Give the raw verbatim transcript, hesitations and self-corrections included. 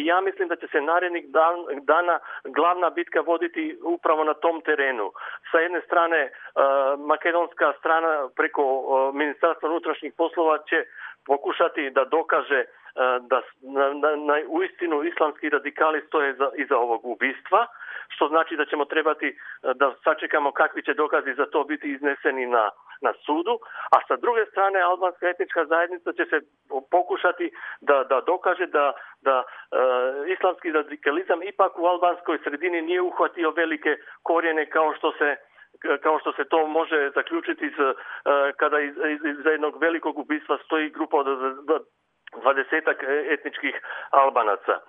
i ja mislim da će se narednih dan, dana glavna bitka voditi upravo na tom terenu. Sa jedne strane, uh, makedonska strana preko uh, Ministarstva unutrašnjih poslova će pokušati da dokaže da na, na, na uistinu islamski radikali stoje za, iza ovog ubistva, što znači da ćemo trebati da sačekamo kakvi će dokazi za to biti izneseni na, na sudu, a sa druge strane albanska etnička zajednica će se pokušati da, da dokaže da, da e, islamski radikalizam ipak u albanskoj sredini nije uhvatio velike korijene kao što se kao što se to može zaključiti iz, kada iz, iz, iz jednog velikog ubistva stoji grupa od dvadesetak etničkih Albanaca.